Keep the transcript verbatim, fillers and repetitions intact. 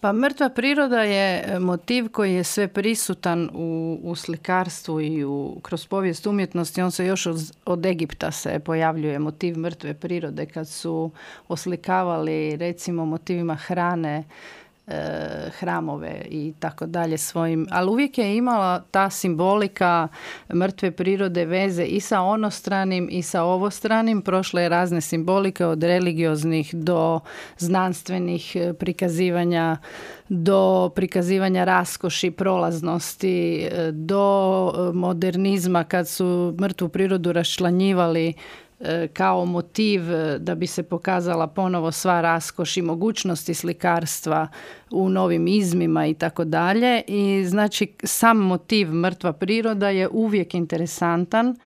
Pa mrtva priroda je motiv koji je sve prisutan u, u slikarstvu i u, kroz povijest umjetnosti. On se još od, od Egipta se pojavljuje motiv mrtve prirode kad su oslikavali recimo motivima hrane hramove i tako dalje svojim, ali uvijek je imala ta simbolika mrtve prirode veze i sa onostranim i sa ovostranim. Prošle je razne simbolike od religioznih do znanstvenih prikazivanja, do prikazivanja raskoši, prolaznosti, do modernizma kad su mrtvu prirodu raščlanjivali kao motiv da bi se pokazala ponovo sva raskoš i mogućnosti slikarstva u novim izmima i tako dalje. I znači sam motiv mrtva priroda je uvijek interesantan.